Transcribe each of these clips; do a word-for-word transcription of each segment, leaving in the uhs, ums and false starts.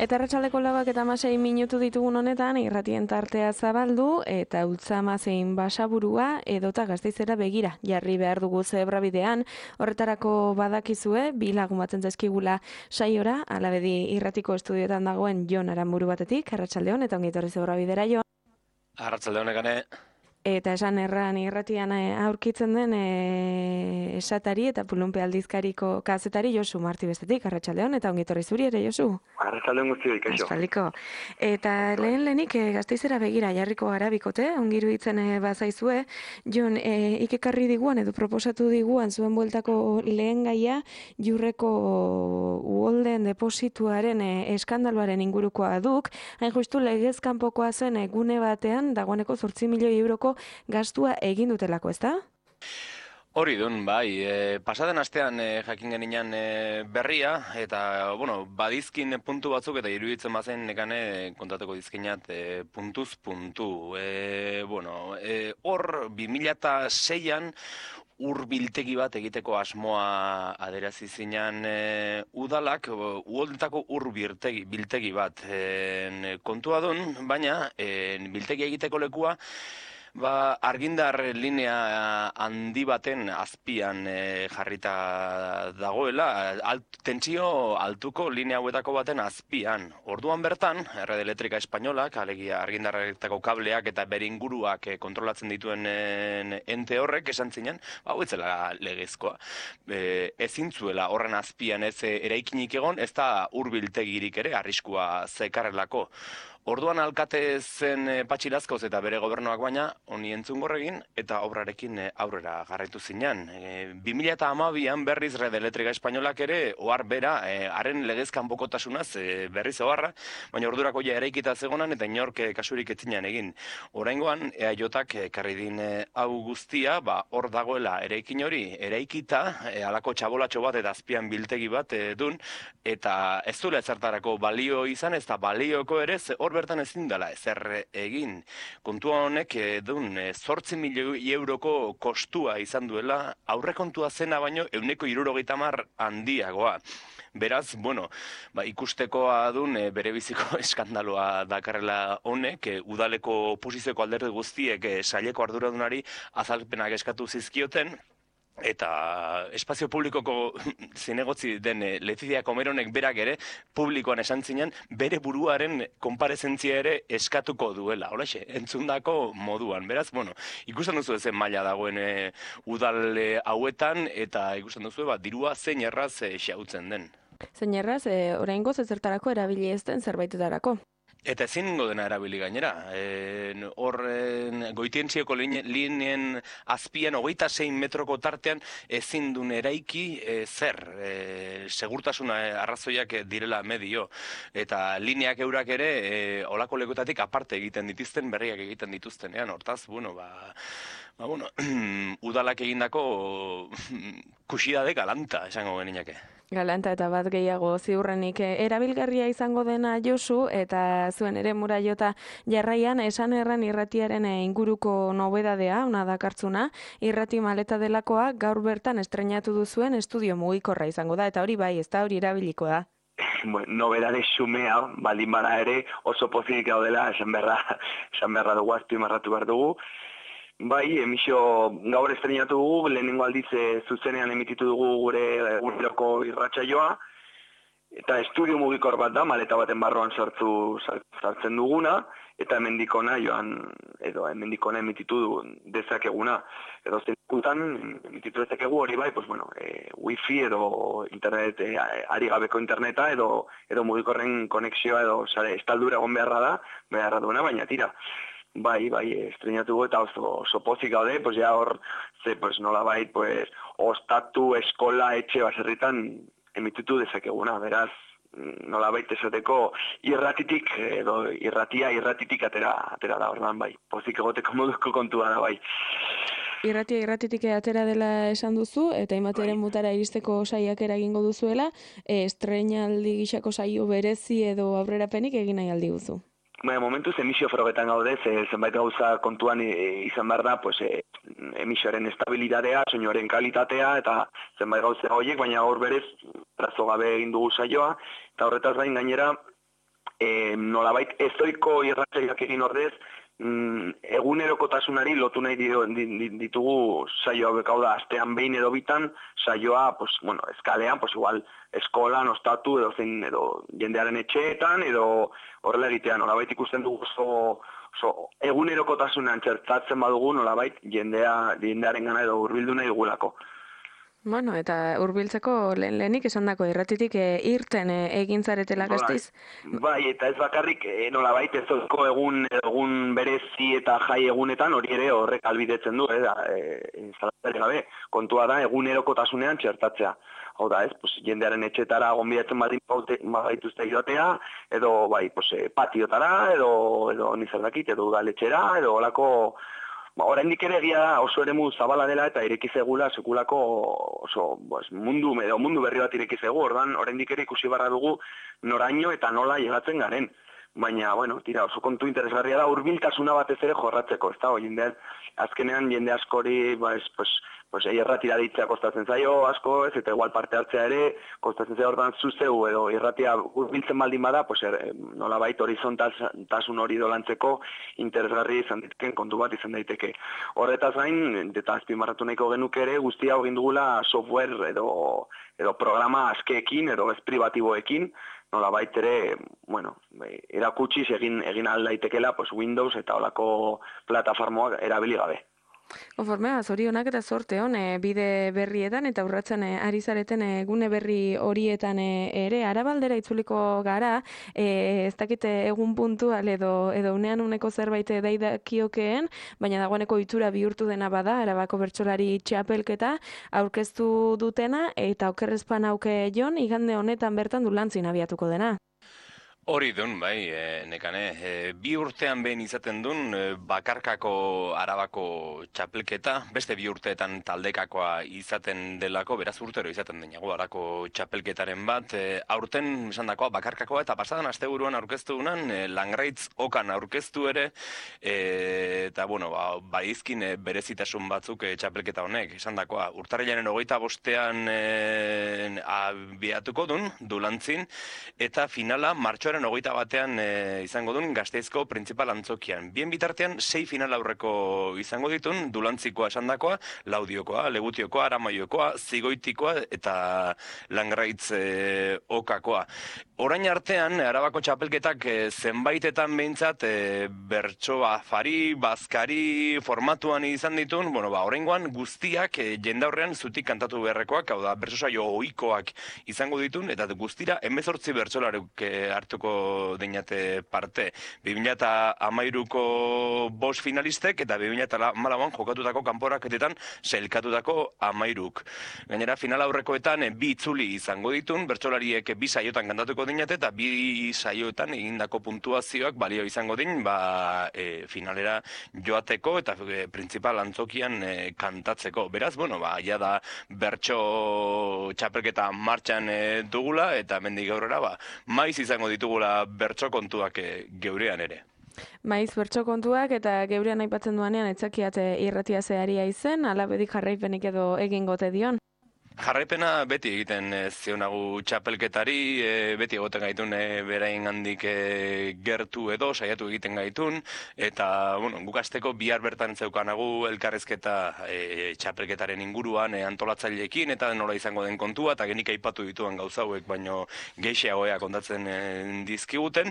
Eta arratsaldeko lauak eta hamasei minutu ditugun honetan, irratien tartea zabaldu eta Ultzama zein Basaburua edota Gasteizera begira jarri behar dugu zebra bidean. Horretarako badakizue, bi lagun batzen zaizkigula saiora, alabedi irratiko estudioetan dagoen Jon Aranburu batetik, arratsaldeon eta ongi etorri zebra bidera, Jon. Arratsaldeon egane. Eta esan erran irratian aurkitzen den e, esatari eta Pulunpe aldizkariko kazetari Josu Marti bestetik, arratsaldeon eta ongi etorri zuri ere, Josu. Arratsaldeon guztioi, kaixo. Askaliko. Eta lehen lehenik e, Gasteizera begira jarriko gara bikote, ongi iruditzen e, bazaizue, Jon, e, ikekarri diguan edo proposatu diguan zuen bueltako lehen gaia Jurreko uholden deposituaren e, eskandaloaren ingurukoa duk, hain justu legez kanpokoa zen e, gune batean dagoeneko zortzi milioi euroko gastua egin dutelako, ezta? Hori dun, bai, e, pasaden astean e, jakin geninan e, berria, eta, bueno, badizkin puntu batzuk eta iruditzen bazen nekane kontatuko dizkinat e, puntuz puntu. E, bueno, e, hor, bi mila seian ur biltegi bat egiteko asmoa aderazi zinan e, udalak, uholdetako ur biltegi, biltegi bat e, kontua dun, baina e, biltegi egiteko lekua Ba, argindar linea handi baten azpian e, jarrita dagoela, alt, tentsio altuko linea hauetako baten azpian. Orduan bertan, Red Eléctrica Espainolak, alegia argindarretako kableak eta bere inguruak e, kontrolatzen dituen e, ente horrek esan zinen, hau ez zela legezkoa. E, ezin zuela horren azpian ez e, eraikinik egon, ez da hurbiltegirik ere arriskua zekarrelako. Orduan alkate zen e, Patxi Lazkaoz eta bere gobernuak baina honi entzun gorregin eta obrarekin e, aurrera jarraitu zinan. E, bi mila hamabian berriz Red Eléctrica Espainolak ere ohar bera, e, haren legez kanpokotasunaz e, berriz oharra, baina ordurako ja eraikita zegonan eta inork e, kasurik etzinan egin. Oraingoan E A J-ak ekarri din e, hau guztia, ba hor dagoela eraikin hori eraikita, e, halako txabolatxo bat eta azpian biltegi bat e, dun, eta ez duela ezertarako balio izan, ez da balioko ere, hor bertan ezin dela ezer egin. Kontua honek dun zortzi milioi euroko kostua izan duela, aurrekontua zena baino ehuneko hirurogeita hamar handiagoa. Beraz, bueno, ba, ikustekoa dun e, bere biziko eskandaloa dakarrela honek, e, udaleko oposizioko alderdi guztiek e, saileko arduradunari azalpenak eskatu zizkioten, eta espazio publikoko zinegotzi den e, Letizia Comeronek berak ere publikoan esan zinen bere buruaren konparezentzia ere eskatuko duela, holaxe, entzundako moduan. Beraz, bueno, ikusten duzu ezen maila dagoen e, udal e, hauetan eta ikusten duzu ba, dirua zein erraz e, xautzen den. Zein erraz, e, oraingoz ezertarako erabili ez den zerbaitetarako. Eta ezin ningo dena erabili gainera. Hor e, goitientzioko lineen azpian hogeita sei metroko tartean ezin duen eraiki e, zer. E, segurtasuna arrazoiak direla medio. Eta lineak eurak ere e, olako lekutatik aparte egiten dituzten, berriak egiten dituztenean. Hortaz, bueno, ba... Ba, bueno, udalak egindako kusidade galanta, esango geninake. Galanta eta bat gehiago ziurrenik erabilgarria izango dena Josu eta zuen ere muraiota jarraian esan erran irratiaren inguruko nobedadea, ona dakartzuna, irrati maleta delakoa gaur bertan estreinatu duzuen estudio mugikorra izango da, eta hori bai, ez da hori erabiliko da. Bueno, nobedade xumea, baldin bada ere oso pozik gaudela, esan beharra, esan beharra dugu, azpimarratu behar dugu. Bai, emisio gaur estreinatu dugu, lehenengo aldiz zuzenean emititu dugu gure urteroko irratsaioa, eta estudio mugikor bat da, maleta baten barruan sartu sartzen duguna, eta hemendikona joan, edo hemendikona emititu dezakeguna. Edo zenikutan emititu dezakegu hori bai, pues bueno, e, wifi edo internet, e, ari gabeko interneta, edo, edo mugikorren konexioa, edo sare, estaldura egon beharra da, beharra duena, baina tira. Bai, bai, estreinatu eta oso, oso pozik gaude, pues ya hor, ze, pues nola bai, pues, ostatu, eskola, etxe baserritan emititu dezakeguna, beraz, nola baita esateko irratitik, edo irratia irratitik atera, atera da, ordan bai, pozik egoteko moduko kontua da, bai. Irratia irratitik atera dela esan duzu, eta imateren mutara iristeko saiak eragingo duzuela, estreinaldi gixako saio berezi edo aurrerapenik egin nahi aldi duzu. Baina, momentuz emisio frogetan gaude, ze, zenbait gauza kontuan e, izan behar da, pues, e, emisioaren estabilitatea, soinuaren kalitatea, eta zenbait gauza horiek, baina gaur berez, trazo gabe egin dugu saioa, eta horretaz gain gainera, e, nolabait ezoiko irratsaioak egin ordez, mm, egunerokotasunari lotu nahi dio- di- di- ditugu saio hauek, hau da, astean behin edo bitan, saioa, pues, bueno, eskalean, pues igual, eskolan, ostatu, edo zein, edo jendearen etxeetan, edo horrela egitea, nolabait ikusten dugu oso, oso egunerokotasunean txertatzen badugu, nolabait jendea, jendearen gana edo hurbildu nahi dugulako. Bueno, eta hurbiltzeko lehen lehenik esandako irratitik e, irten e, egin zaretela Bai, Gasteiz. bai, eta ez bakarrik e, nolabait ez ohiko egun egun berezi eta jai egunetan hori ere horrek albidetzen du, eh, da, e, zalantzarik gabe. Kontua da egunerokotasunean txertatzea. Hau da, ez, pues, jendearen etxetara gonbidatzen badin bagaituzte joatea, edo bai, pues, e, patiotara, edo edo ni zer dakit, edo udaletxera, edo holako. Ba, oraindik ere egia da oso eremu zabala dela eta ireki zegula sekulako oso pues, mundu edo mundu berri bat ireki zegu, ordan oraindik ere ikusi barra dugu noraino eta nola llegatzen garen. Baina, bueno, tira, oso kontu interesgarria da hurbiltasuna batez ere jorratzeko, ez da, jende, azkenean jende askori, ba, ez, pues, pues, irratira deitzea kostatzen zaio asko, ez, eta igual parte hartzea ere, kostatzen zaio ordan zuzeu, edo irratia hurbiltzen baldin bada, pues, er, nolabait horizontaltasun hori dolantzeko interesgarri izan daiteken kontu bat izan daiteke. Horretaz gain, eta azpimarratu nahiko genuke ere, guzti hau egin dugula software edo, edo programa askeekin, edo ez privatiboekin, nolabait ere, bueno, erakutsiz egin egin ahal daitekela, pues Windows eta holako plataformoak erabili gabe. Konformea, zorionak eta zorte hon, e, bide berrietan eta urratzen e, ari zareten e, gune berri horietan e, ere, Arabaldera itzuliko gara, e, ez dakite egun puntual edo, edo unean uneko zerbait daidakiokeen, baina dagoeneko itura bihurtu dena bada, Arabako bertsolari txapelketa aurkeztu dutena, eta okerrezpan auke jon, igande honetan bertan dulantzin abiatuko dena. Hori dun, bai, e, nekane, e, bi urtean behin izaten dun e, bakarkako Arabako txapelketa, beste bi urteetan taldekakoa izaten delako, beraz urtero izaten denago Arabako txapelketaren bat, e, aurten esan dakoa bakarkakoa eta pasadan asteburuan aurkeztu dunan, e, Langraitz okan aurkeztu ere, e, eta bueno, ba, baizkin e, berezitasun batzuk e, txapelketa honek, esan dakoa, urtarrilaren hogeita bostean e, abiatuko dun, dulantzin, eta finala martxoaren hogeita batean e, izango duen Gasteizko printzipal antzokian. Bien bitartean, sei final aurreko izango ditun, dulantzikoa esandakoa, laudiokoa, legutiokoa, aramaiokoa, zigoitikoa eta Langraitz e, okakoa. Orain artean, Arabako txapelketak e, zenbaitetan behintzat e, bertso afari, bazkari formatuan izan ditun, bueno, ba, oraingoan guztiak e, jendaurrean zutik kantatu beharrekoak, hau da, bertso saio ohikoak izango ditun, eta guztira hemezortzi bertsolaruk e, hartuko deinate parte. bi mila hamairuko bost finalistek eta bi mila hamalauan jokatutako kanporaketetan sailkatutako hamairuk. Gainera, final aurrekoetan e, bi itzuli izango ditun, bertsolariek bi saiotan kantatuko deinate eta bi saioetan egindako puntuazioak balio izango din, ba, e, finalera joateko eta e, printzipal antzokian e, kantatzeko. Beraz, bueno, ba, ja da bertso txapelketa martxan e, dugula eta mendik aurrera, ba, maiz izango ditugula bertso kontuak e, geurean ere. Maiz bertso kontuak eta geurean aipatzen duanean etzakiat irratia zeharia izen, alabedik jarraipenik edo egingote dion. Jarraipena beti egiten e, zionagu txapelketari, e, beti egoten gaitun e, berain handik e, gertu edo, saiatu egiten gaitun, eta, bueno, guk asteko bihar bertan zeukanagu elkarrezketa e, txapelketaren inguruan e, antolatzaileekin, eta nola izango den kontua, eta genik aipatu dituan gauzauek, baino geixeagoea kontatzen e, dizkiguten,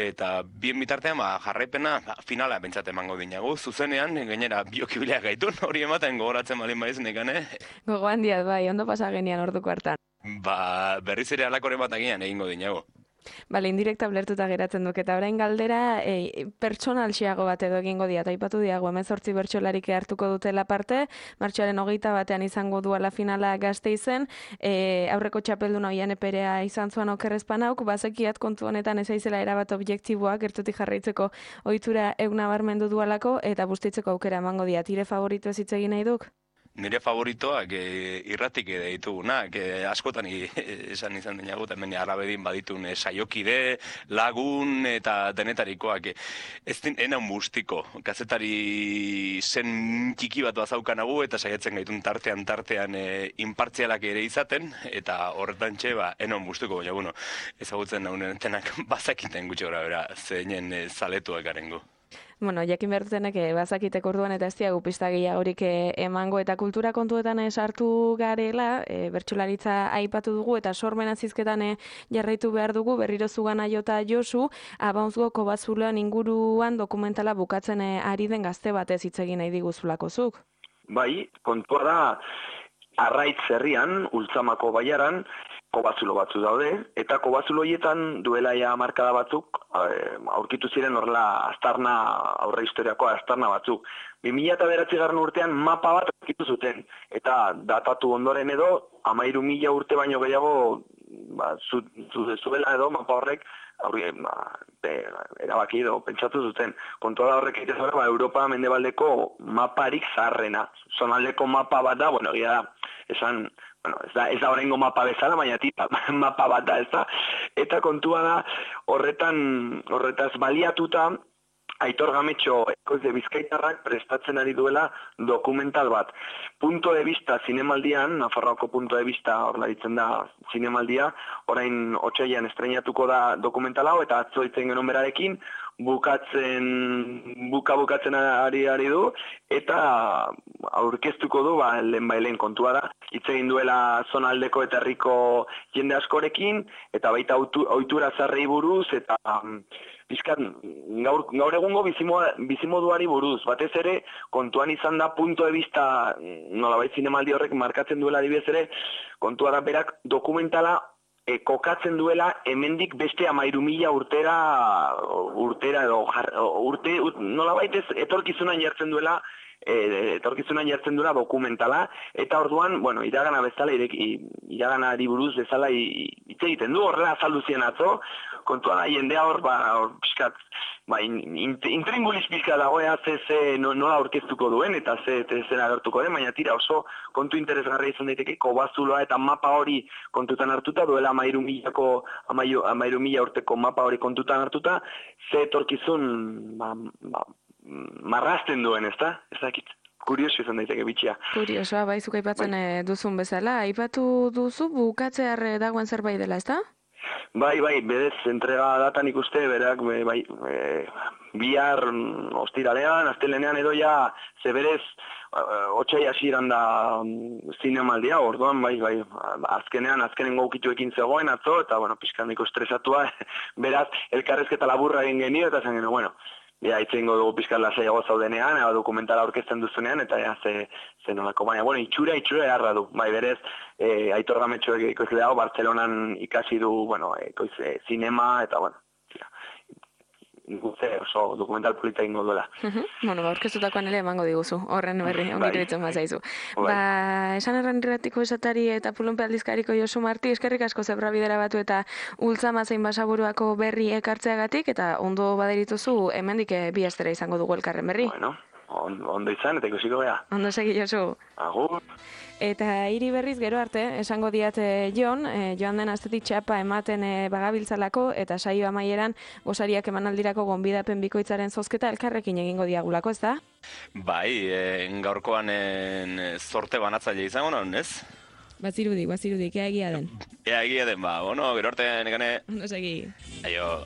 eta bien bitartean, ba, jarraipena ba, finala bentsat emango dinagu, zuzenean, gainera biokibilea gaitun, hori ematen gogoratzen balin baiz nekane. Gogo handiat, bai, ondo pasa genian orduko hartan. Ba, berriz ere alakoren bat agian egingo dinago. Bale, indirekta ulertuta geratzen duk, eta orain galdera e, pertsonalxiago bat edo egingo diat, aipatu diago, hemezortzi bertsolarik hartuko dutela parte, martxoaren hogeita batean izango duela finala Gasteizen, e, aurreko txapeldun Oiane Perea izan zuan okerrezpan hauk, bazekiat kontu honetan ez aizela erabat objektiboa, gertutik jarraitzeko ohitura euna barmendu dualako, eta bustitzeko aukera emango diat, ire favorito ez hitz egin nahi duk? nire favoritoak e, irratik ere ditugunak, e, askotan i, esan izan dinagu, hemen arabedin baditun e, saiokide, lagun eta denetarikoak. E, ez din, enan bustiko, kazetari zen txiki bat bazaukanagu eta saiatzen gaitun tartean tartean e, inpartzialak ere izaten, eta horretan txe, ba, enan bustiko, baina, bueno, ezagutzen naunetenak bazakiten gutxi gora bera, zeinen e, zaletuak garengo. Bueno, jakin behar dutenek eh, bazakitek orduan eta ez diagu pista gehiagorik eh, emango eta kultura kontuetan eh, sartu garela, eh, bertsolaritza aipatu dugu eta sormen azizketan eh, jarraitu behar dugu, berriro zugana jota Josu, Abaunzgo Kobazuloan inguruan dokumentala bukatzen eh, ari den gazte batez hitz egin nahi diguzulako zuk. Bai, kontua da, Arraitz herrian, Ultzamako baiaran, kobazulo batzu daude, eta kobazulo horietan duela ja markada batzuk, aurkitu ziren horrela aztarna, aurre historiako aztarna batzuk. bi mila bederatzigarren urtean mapa bat aurkitu zuten, eta datatu ondoren edo, hamairu mila urte baino gehiago, ba, zu, zu, zuela edo mapa horrek, aurri, ba, be, erabaki edo, pentsatu zuten. Kontua da horrek egite zara, ba, Europa mendebaldeko maparik zaharrena. Zonaldeko mapa bat da, bueno, egia da, esan, bueno, ez da, ez da horrengo mapa bezala, baina tipa, mapa bat da, ez da. Eta kontua da, horretan, horretaz baliatuta, Aitor Gametxo ekoizle bizkaitarrak prestatzen ari duela dokumental bat. Punto de vista zinemaldian, Nafarroako punto de vista horrela ditzen da zinemaldia, orain otsailean estreinatuko da dokumental hau, eta atzo itzen genuen berarekin, bukatzen, buka bukatzen ari ari du, eta aurkeztuko du, ba, lehen bailen kontua da, hitz egin duela zonaldeko eta herriko jende askorekin, eta baita ohitura zarrei buruz, eta bizkat, gaur, gaur egungo bizimoduari buruz, batez ere, kontuan izan da punto de vista, nolabait zinemaldi horrek markatzen duela adibidez ere, kontua da berak dokumentala e, kokatzen duela hemendik beste hamairu mila urtera, urtera edo, urte, nolabait ez etorkizunan jartzen duela, E, etorkizunan jartzen duela dokumentala, eta orduan, bueno, iragana bezala, iraganari buruz bezala hitz egiten du, horrela azaldu zien atzo, kontua da, jendea hor, ba, hor, pixkat, ba, intringuliz pixka dagoea, ze, ze, nola aurkeztuko duen, eta ze, zen agertuko den, baina tira oso kontu interesgarria izan daiteke, kobazuloa eta mapa hori kontutan hartuta, duela hamairu milako, hamairu mila urteko mapa hori kontutan hartuta, ze etorkizun, ba, ba, marrazten duen, ez da? Ez dakit. Kurioso izan daiteke bitxia. Kuriosoa, bai, zuk aipatzen bai. Duzun bezala. Aipatu duzu bukatzear dagoen zerbait dela, ez da? Bai, bai, berez, entrega datan ikuste, berak, bai, e, bihar ostiralean, astelenean edo ja, ze berez, otsai hasieran da zinemaldia, orduan, bai, bai, azkenean, azkenengo ukituekin zegoen atzo, eta, bueno, pixkaniko estresatua, beraz, elkarrezketa laburra egin genio, eta zen genio, bueno, ja, itzengo dugu pixkan lasaiago zaudenean, eba dokumentala aurkezten duzunean, eta ja, ze, ze nolako, baina, bueno, itxura, itxura eharra du. Bai, berez, e, Aitor Gametxoek ekoizle dago, Bartzelonan ikasi du, bueno, ekoizle, zinema, eta, bueno, tira, guze, oso dokumental polita ingo duela. Uh-huh. Bueno, ba, orkestutakoan ere emango diguzu, horren berri, ongitu ditzen bazaizu. Bai. Ba, esan erran irratiko esatari eta Pulunpe aldizkariko Josu Marti, eskerrik asko zebra bidera batu eta Ultzama zein Basaburuako berri ekartzeagatik, eta ondo baderituzu, hemendik bi astera izango dugu elkarren berri. Bueno, on, ondo izan, eta ikusiko beha. Ondo segi, Josu. Agur. Eta hiri berriz gero arte, esango diat e, Jon, e, joan den astetik txapa ematen e, bagabiltzalako, eta saio amaieran gosariak emanaldirako gonbidapen bikoitzaren zozketa elkarrekin egingo diagulako, ez da? Bai, e, gaurkoan e, zorte banatzaile izango non, ez? Bazirudik, bazirudik, ea egia den. Ea egia den, ba, bueno, gero arte, nekane. Ondo segi. Aio.